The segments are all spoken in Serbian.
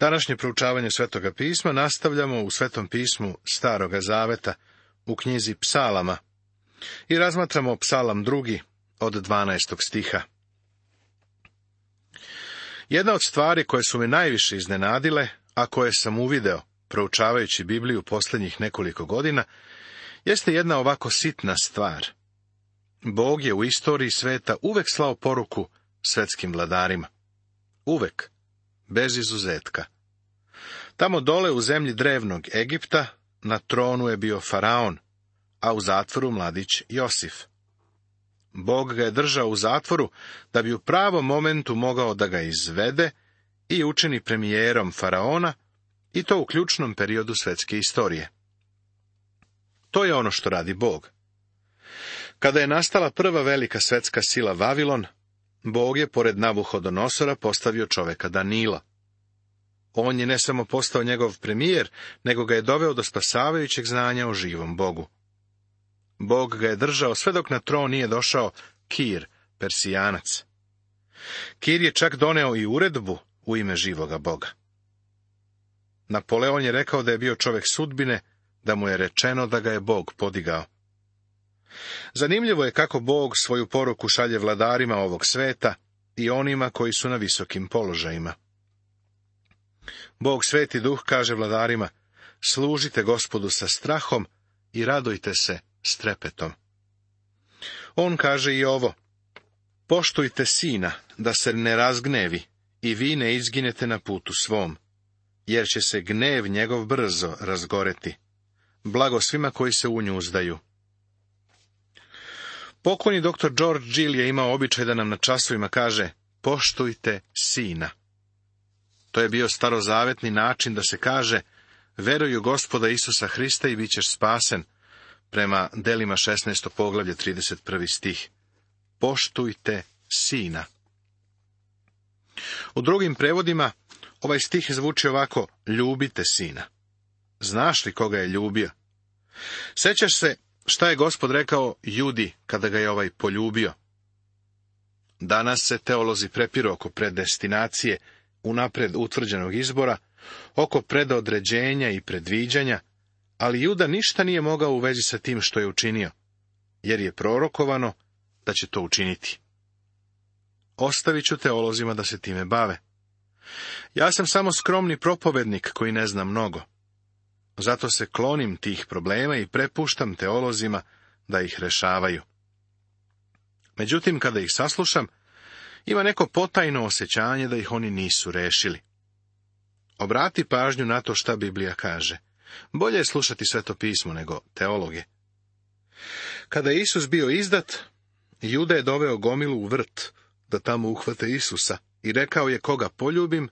Današnje proučavanje Svetoga pisma nastavljamo u Svetom pismu Staroga zaveta, u knjizi Psalama, i razmatramo Psalam 2. od 12. stiha. Jedna od stvari koje su me najviše iznenadile, a koje sam uvideo, proučavajući Bibliju posljednjih nekoliko godina, jeste jedna ovako sitna stvar. Bog je u istoriji sveta uvek slao poruku svetskim vladarima. Uvek, bez izuzetka. Tamo dole u zemlji drevnog Egipta na tronu je bio faraon, a u zatvoru mladić Josif. Bog ga je držao u zatvoru da bi u pravom momentu mogao da ga izvede i učini premijerom faraona, i to u ključnom periodu svetske istorije. To je ono što radi Bog. Kada je nastala prva velika svetska sila Vavilon, Bog je pored Navuhodonosora postavio čoveka Danila. On je ne samo postao njegov premijer, nego ga je doveo do spasavajućeg znanja o živom Bogu. Bog ga je držao sve dok na tron nije došao Kir, Persijanac. Kir je čak doneo i uredbu u ime živoga Boga. Napoleon je rekao da je bio čovek sudbine, da mu je rečeno da ga je Bog podigao. Zanimljivo je kako Bog svoju poruku šalje vladarima ovog sveta i onima koji su na visokim položajima. Bog Sveti Duh kaže vladarima: služite Gospodu sa strahom i radujte se s trepetom. On kaže i ovo: poštujte sina, da se ne razgnevi i vi ne izginete na putu svom, jer će se gnev njegov brzo razgoreti. Blago svima koji se u nju uzdaju. Pokojni dr. George Gill je imao običaj da nam na časovima kaže: poštujte sina. To je bio starozavetni način da se kaže: veruj u Gospoda Isusa Hrista i bit ćeš spasen, prema Delima 16. poglavlje 31. stih. Poštujte sina. U drugim prevodima ovaj stih zvuči ovako: ljubite sina. Znaš li koga je ljubio? Sećaš se šta je Gospod rekao Judi kada ga je ovaj poljubio? Danas se teolozi prepiru oko predestinacije, unapred utvrđenog izbora, oko predodređenja i predviđanja, ali Juda ništa nije mogao u vezi sa tim što je učinio, jer je prorokovano da će to učiniti. Ostavit ću teolozima da se time bave. Ja sam samo skromni propovednik koji ne zna mnogo. Zato se klonim tih problema i prepuštam teolozima da ih rešavaju. Međutim, kada ih saslušam, ima neko potajno osjećanje da ih oni nisu rešili. Obrati pažnju na to šta Biblija kaže. Bolje je slušati Sveto pismo nego teologe. Kada je Isus bio izdat, Juda je doveo gomilu u vrt da tamo uhvate Isusa i rekao je: koga poljubim,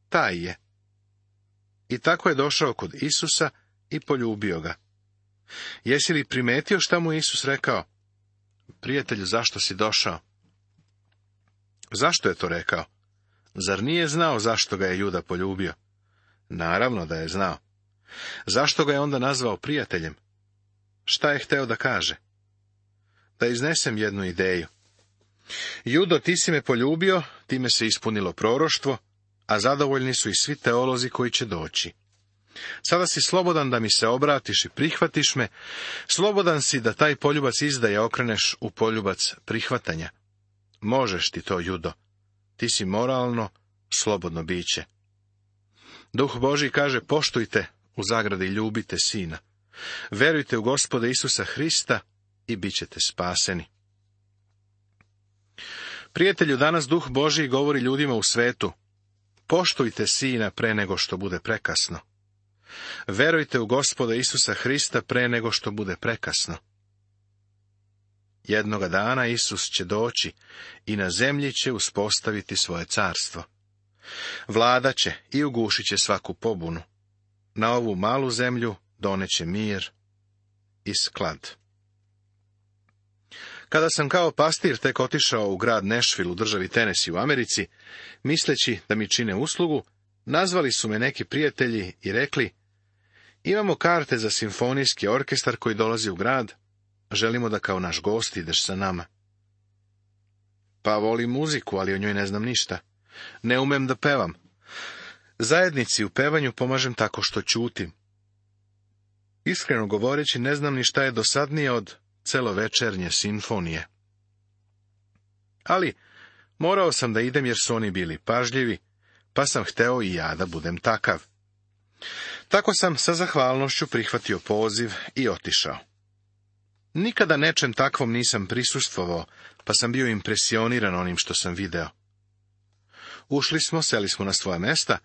taj je. I tako je došao kod Isusa i poljubio ga. Jesi li primetio šta mu Isus rekao? Prijatelju, zašto si došao? Zašto je to rekao? Zar nije znao zašto ga je Juda poljubio? Naravno da je znao. Zašto ga je onda nazvao prijateljem? Šta je hteo da kaže? Da iznesem jednu ideju. Judo, ti si me poljubio, time se ispunilo proroštvo, a zadovoljni su i svi teolozi koji će doći. Sada si slobodan da mi se obratiš i prihvatiš me, slobodan si da taj poljubac izdaje okreneš u poljubac prihvatanja. Možeš ti to, Judo. Ti si moralno, slobodno biće. Duh Božji kaže: poštujte, u zagradi ljubite sina. Verujte u Gospoda Isusa Hrista i bit ćete spaseni. Prijatelju, danas Duh Božji govori ljudima u svetu: poštujte sina pre nego što bude prekasno. Verujte u Gospoda Isusa Hrista pre nego što bude prekasno. Jednoga dana Isus će doći i na zemlji će uspostaviti svoje carstvo. Vlada će i ugušit će svaku pobunu. Na ovu malu zemlju doneće mir i sklad. Kada sam kao pastir tek otišao u grad Nashville u državi Tennessee u Americi, misleći da mi čine uslugu, nazvali su me neki prijatelji i rekli: imamo karte za simfonijski orkestar koji dolazi u grad, želimo da kao naš gost ideš sa nama. Pa volim muziku, ali o njoj ne znam ništa. Ne umem da pevam. Zajednici u pevanju pomažem tako što ćutim. Iskreno govoreći, ne znam ni šta je dosadnije od celovečernje simfonije. Ali morao sam da idem jer su oni bili pažljivi, pa sam hteo i ja da budem takav. Tako sam sa zahvalnošću prihvatio poziv i otišao. Nikada nečem takvom nisam prisustvovao, pa sam bio impresioniran onim što sam video. Ušli smo, seli smo na svoja mesta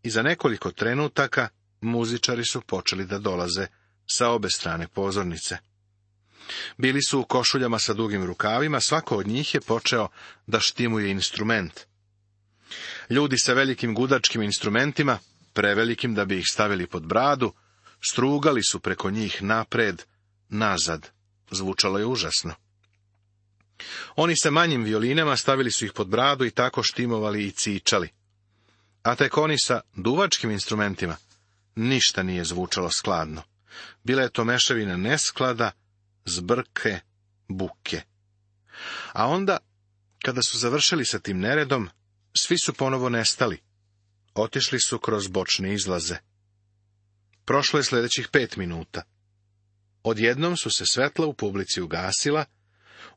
i za nekoliko trenutaka muzičari su počeli da dolaze sa obe strane pozornice. Bili su u košuljama sa dugim rukavima, svako od njih je počeo da štimuje instrument. Ljudi sa velikim gudačkim instrumentima, prevelikim da bi ih stavili pod bradu, strugali su preko njih napred, nazad. Zvučalo je užasno. Oni sa manjim violinama stavili su ih pod bradu i tako štimovali i cičali. A tek oni sa duvačkim instrumentima ništa nije zvučalo skladno. Bila je to mešavina nesklada, zbrke, buke. A onda, kada su završili sa tim neredom, svi su ponovo nestali. Otišli su kroz bočne izlaze. Prošlo je sljedećih 5 minuta. Odjednom su se svetla u publici ugasila,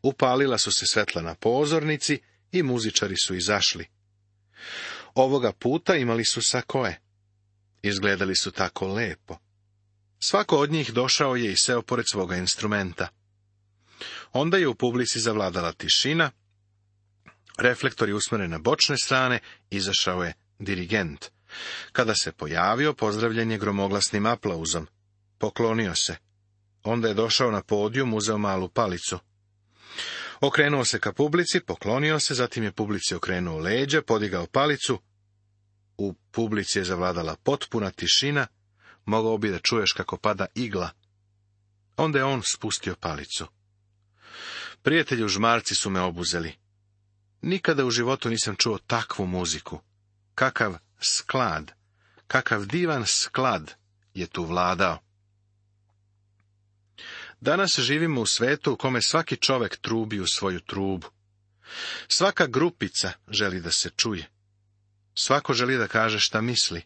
upalila su se svetla na pozornici i muzičari su izašli. Ovoga puta imali su sakoe. Izgledali su tako lepo. Svako od njih došao je i seo pored svoga instrumenta. Onda je u publici zavladala tišina, reflektor je usmeren na bočne strane, izašao je dirigent. Kada se pojavio, pozdravljen je gromoglasnim aplauzom. Poklonio se. Onda je došao na podijum, uzeo malu palicu. Okrenuo se ka publici, poklonio se, zatim je publici okrenuo leđa, podigao palicu. U publici je zavladala potpuna tišina, mogao bi da čuješ kako pada igla. Onda je on spustio palicu. Prijatelji žmarci su me obuzeli. Nikada u životu nisam čuo takvu muziku. Kakav sklad, kakav divan sklad je tu vladao. Danas živimo u svetu u kome svaki čovek trubi u svoju trubu. Svaka grupica želi da se čuje. Svako želi da kaže šta misli.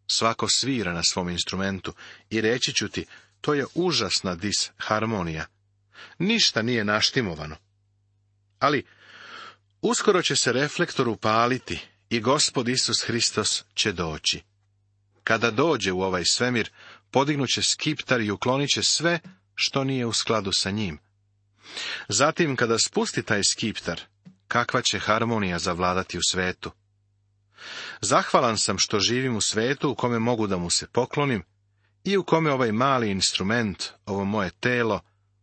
Svako svira na svom instrumentu i reći ću ti, to je užasna disharmonija. Ništa nije naštimovano. Ali uskoro će se reflektor upaliti i Gospod Isus Hristos će doći. Kada dođe u ovaj svemir, podignuće skiptar i uklonit će sve što nije u skladu sa njim. Zatim, kada spusti taj skiptar, kakva će harmonija zavladati u svetu. Zahvalan sam što živim u svetu u kome mogu da mu se poklonim i u kome ovaj mali instrument, ovo moje telo,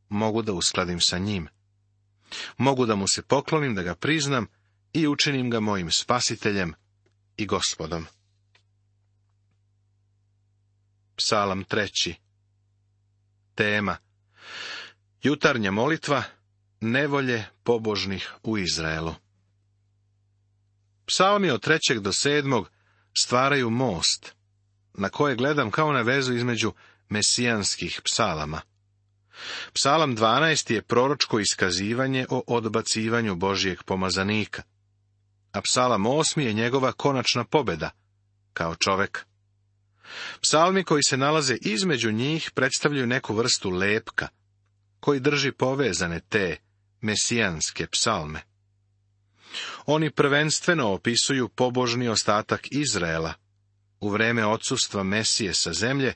mogu da uskladim sa njim. Mogu da mu se poklonim, da ga priznam i učinim ga mojim spasiteljem i Gospodom. Psalam 3. Tema: jutarnja molitva, nevolje pobožnih u Izraelu. Psalmi od 3. do 7. stvaraju most, na koje gledam kao na vezu između mesijanskih psalama. Psalam 12. je proročko iskazivanje o odbacivanju Božijeg pomazanika, a psalam 8. je njegova konačna pobjeda, kao čovek. Psalmi koji se nalaze između njih predstavljaju neku vrstu lepka, koji drži povezane te mesijanske psalme. Oni prvenstveno opisuju pobožni ostatak Izraela u vreme odsustva Mesije sa zemlje,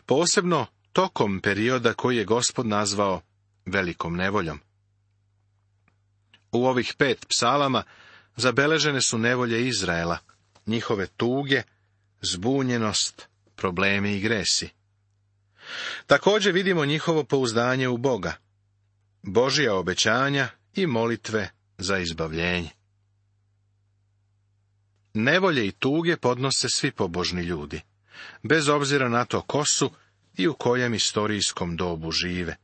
posebno tokom perioda koji je Gospod nazvao velikom nevoljom. U ovih 5 psalama zabeležene su nevolje Izraela, njihove tuge, zbunjenost, problemi i gresi. Također vidimo njihovo pouzdanje u Boga, Božja obećanja i molitve za izbavljenje. Nevolje i tuge podnose svi pobožni ljudi, bez obzira na to ko su i u kojem istorijskom dobu žive.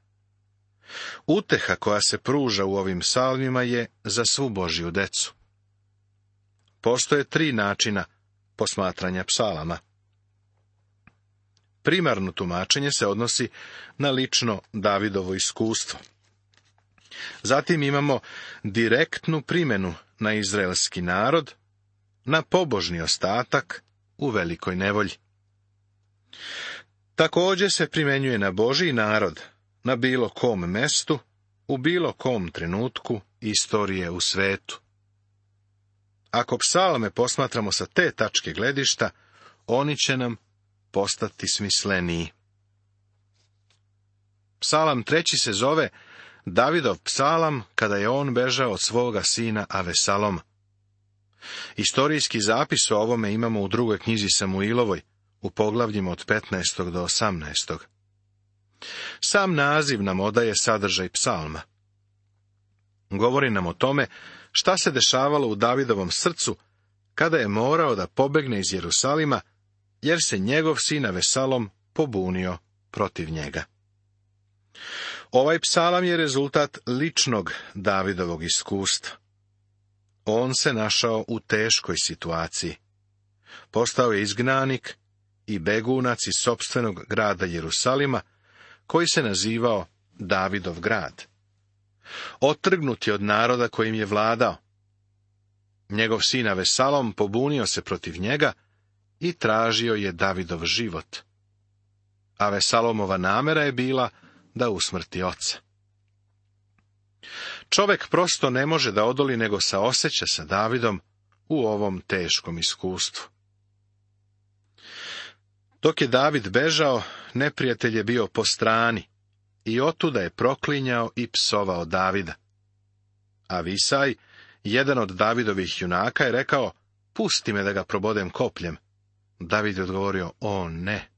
Uteha koja se pruža u ovim psalmima je za svu Božju decu. Postoje 3 načina posmatranja psalama. Primarno tumačenje se odnosi na lično Davidovo iskustvo. Zatim imamo direktnu primjenu na izraelski narod, na pobožni ostatak u velikoj nevolji. Također se primjenjuje na Božji narod, na bilo kom mestu, u bilo kom trenutku istorije u svetu. Ako psalme posmatramo sa te tačke gledišta, oni će nam postati smisleniji. Psalam 3. se zove Davidov psalam kada je on bežao od svoga sina Avesaloma. Istorijski zapis o ovome imamo u 2. knjizi Samuilovoj, u poglavljima od 15. do 18. Sam naziv nam odaje sadržaj psalma. Govori nam o tome šta se dešavalo u Davidovom srcu kada je morao da pobegne iz Jerusalima, jer se njegov sin Avesalom pobunio protiv njega. Ovaj psalam je rezultat ličnog Davidovog iskustva. On se našao u teškoj situaciji. Postao je izgnanik i begunac iz sopstvenog grada Jerusalima, koji se nazivao Davidov grad. Otrgnut je od naroda kojim je vladao. Njegov sin Avesalom pobunio se protiv njega i tražio je Davidov život. Avesalomova namera je bila da usmrti oca. Čovek prosto ne može da odoli nego saoseća sa Davidom u ovom teškom iskustvu. Dok je David bežao, neprijatelj je bio po strani i otuda je proklinjao i psovao Davida. Avisaj, jedan od Davidovih junaka, je rekao: pusti me da ga probodem kopljem. David je odgovorio: o ne.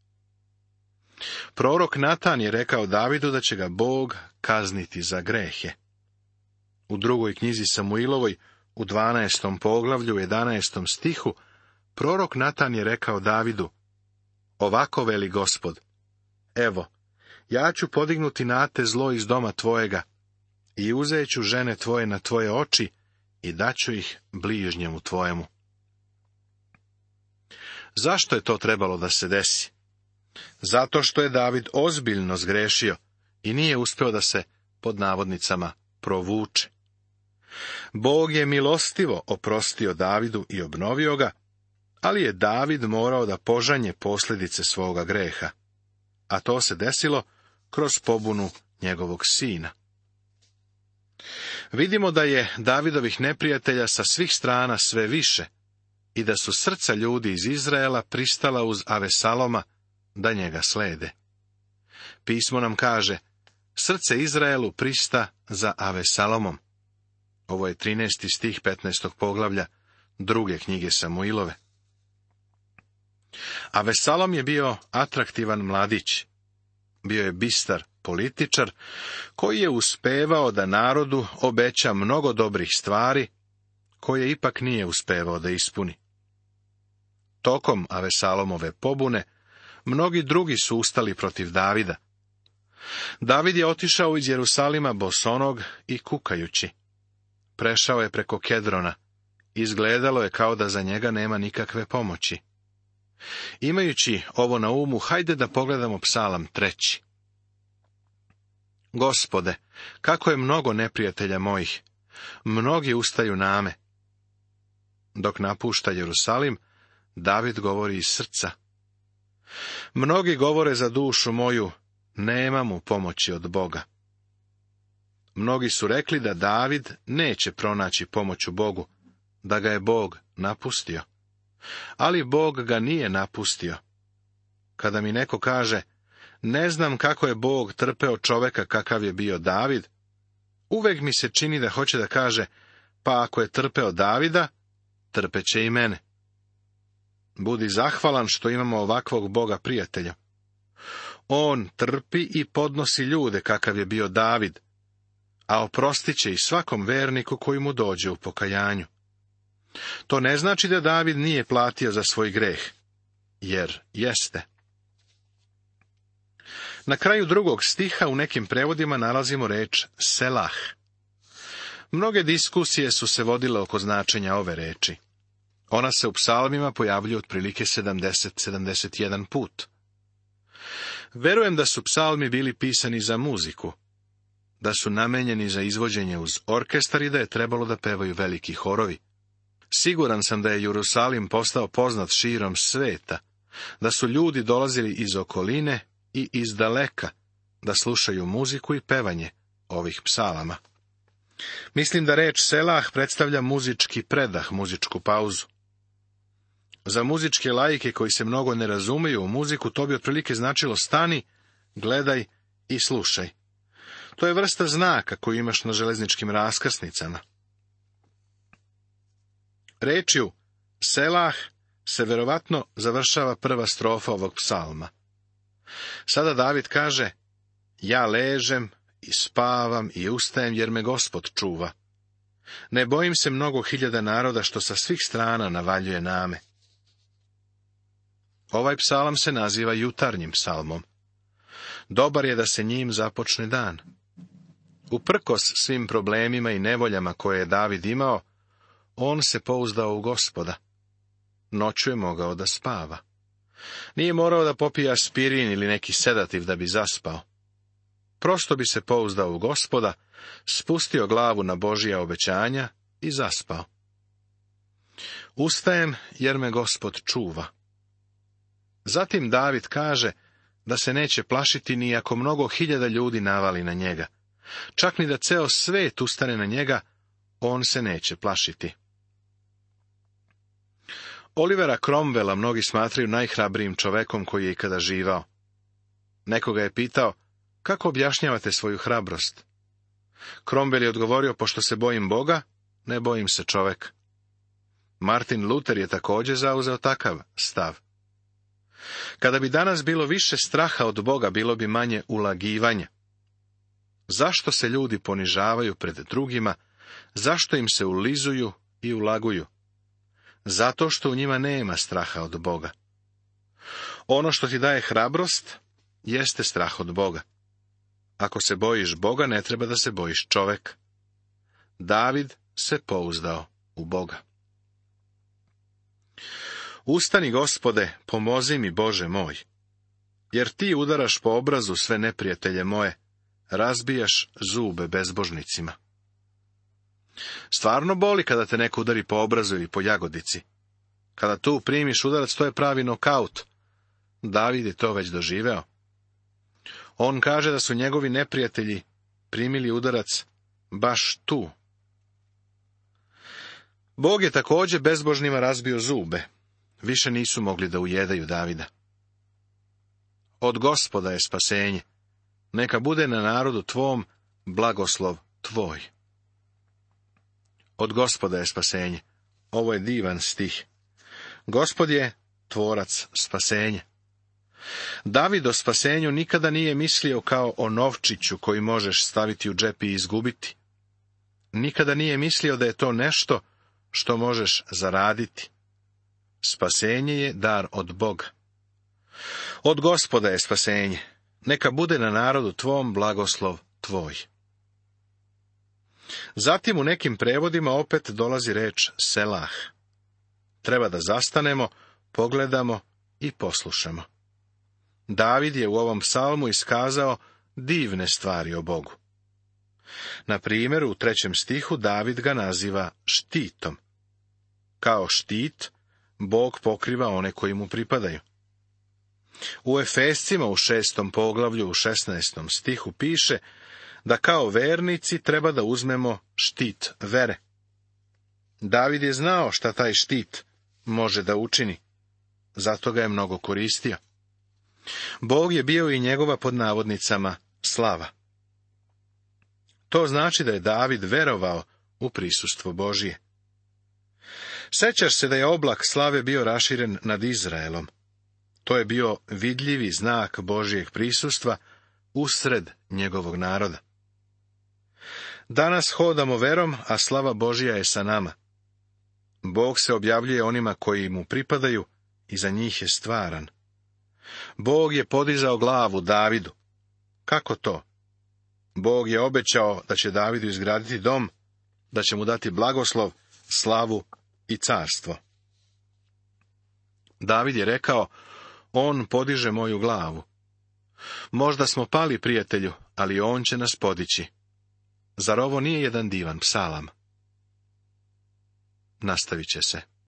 Prorok Natan je rekao Davidu da će ga Bog kazniti za grehe. U 2. knjizi Samuilovoj, u 12. poglavlju, 11. stihu, prorok Natan je rekao Davidu: ovako veli Gospod, evo, ja ću podignuti na te zlo iz doma tvojega i uzet ću žene tvoje na tvoje oči i daću ih bližnjemu tvojemu. Zašto je to trebalo da se desi? Zato što je David ozbiljno zgrešio i nije uspeo da se, pod navodnicama, provuče. Bog je milostivo oprostio Davidu i obnovio ga, ali je David morao da požanje posljedice svoga greha, a to se desilo kroz pobunu njegovog sina. Vidimo da je Davidovih neprijatelja sa svih strana sve više i da su srca ljudi iz Izraela pristala uz Avesaloma da njega slede. Pismo nam kaže: srce Izraelu prista za Avesalomom. Ovo je 13. stih 15. poglavlja 2. knjige Samuilove. Avesalom je bio atraktivan mladić. Bio je bistar političar koji je uspevao da narodu obeća mnogo dobrih stvari, koje ipak nije uspevao da ispuni. Tokom Avesalomove pobune mnogi drugi su ustali protiv Davida. David je otišao iz Jerusalima bosonog i kukajući. Prešao je preko Kedrona. Izgledalo je kao da za njega nema nikakve pomoći. Imajući ovo na umu, hajde da pogledamo psalam 3. Gospode, kako je mnogo neprijatelja mojih, mnogi ustaju na me. Dok napušta Jerusalim, David govori iz srca. Mnogi govore za dušu moju, nema mu pomoći od Boga. Mnogi su rekli da David neće pronaći pomoć u Bogu, da ga je Bog napustio. Ali Bog ga nije napustio. Kada mi neko kaže: ne znam kako je Bog trpeo čoveka kakav je bio David, uvek mi se čini da hoće da kaže: pa ako je trpeo Davida, trpeće i mene. Budi zahvalan što imamo ovakvog Boga prijatelja. On trpi i podnosi ljude kakav je bio David, a oprostit će i svakom verniku koji mu dođe u pokajanju. To ne znači da David nije platio za svoj greh, jer jeste. Na kraju 2. stiha u nekim prevodima nalazimo reč selah. Mnoge diskusije su se vodile oko značenja ove reči. Ona se u psalmima pojavljuje otprilike 70-71 put. Verujem da su psalmi bili pisani za muziku, da su namenjeni za izvođenje uz orkestar i da je trebalo da pevaju veliki horovi. Siguran sam da je Jerusalim postao poznat širom sveta, da su ljudi dolazili iz okoline i iz daleka, da slušaju muziku i pevanje ovih psalama. Mislim da reč selah predstavlja muzički predah, muzičku pauzu. Za muzičke laike koji se mnogo ne razumiju u muziku, to bi otprilike značilo stani, gledaj i slušaj. To je vrsta znaka koju imaš na železničkim raskrsnicama. Rečju selah se verovatno završava prva strofa ovog psalma. Sada David kaže: ja ležem i spavam i ustajem jer me Gospod čuva. Ne bojim se mnogo hiljada naroda što sa svih strana navaljuje na me. Ovaj psalam se naziva jutarnjim psalmom. Dobar je da se njim započne dan. Uprkos svim problemima i nevoljama koje je David imao, on se pouzdao u Gospoda. Noću je mogao da spava. Nije morao da popije aspirin ili neki sedativ da bi zaspao. Prosto bi se pouzdao u Gospoda, spustio glavu na Božja obećanja i zaspao. Ustajem jer me Gospod čuva. Zatim David kaže da se neće plašiti ni ako mnogo hiljada ljudi navali na njega. Čak ni da ceo svet ustane na njega, on se neće plašiti. Olivera Cromwella mnogi smatraju najhrabrijim čovekom koji je ikada živao. Nekoga je pitao: kako objašnjavate svoju hrabrost? Cromwell je odgovorio: pošto se bojim Boga, ne bojim se čoveka. Martin Luther je također zauzeo takav stav. Kada bi danas bilo više straha od Boga, bilo bi manje ulagivanja. Zašto se ljudi ponižavaju pred drugima? Zašto im se ulizuju i ulaguju? Zato što u njima nema straha od Boga. Ono što ti daje hrabrost jeste strah od Boga. Ako se bojiš Boga, ne treba da se bojiš čoveka. David se pouzdao u Boga. Ustani, Gospode, pomozi mi, Bože moj, jer ti udaraš po obrazu sve neprijatelje moje, razbijaš zube bezbožnicima. Stvarno boli kada te neko udari po obrazu ili po jagodici. Kada tu primiš udarac, to je pravi nokaut. David je to već doživeo. On kaže da su njegovi neprijatelji primili udarac baš tu. Bog je također bezbožnima razbio zube. Više nisu mogli da ujedaju Davida. Od Gospoda je spasenje. Neka bude na narodu tvom blagoslov tvoj. Od Gospoda je spasenje. Ovo je divan stih. Gospod je tvorac spasenja. David o spasenju nikada nije mislio kao o novčiću koji možeš staviti u džep i izgubiti. Nikada nije mislio da je to nešto što možeš zaraditi. Spasenje je dar od Boga. Od Gospoda je spasenje. Neka bude na narodu tvom blagoslov tvoj. Zatim u nekim prevodima opet dolazi reč selah. Treba da zastanemo, pogledamo i poslušamo. David je u ovom psalmu iskazao divne stvari o Bogu. Na primjer, u 3. stihu David ga naziva štitom. Kao štit, Bog pokriva one koji mu pripadaju. U Efescima u 6. poglavlju u 16. stihu piše da kao vernici treba da uzmemo štit vere. David je znao šta taj štit može da učini, zato ga je mnogo koristio. Bog je bio i njegova pod navodnicama slava. To znači da je David verovao u prisustvo Božije. Sećaš se da je oblak slave bio raširen nad Izraelom. To je bio vidljivi znak Božijeg prisustva usred njegovog naroda. Danas hodamo verom, a slava Božija je sa nama. Bog se objavljuje onima koji mu pripadaju i za njih je stvaran. Bog je podizao glavu Davidu. Kako to? Bog je obećao da će Davidu izgraditi dom, da će mu dati blagoslov, slavu i carstvo. David je rekao: on podiže moju glavu. Možda smo pali, prijatelju, ali on će nas podići. Zar ovo nije jedan divan psalam? nastavit će se.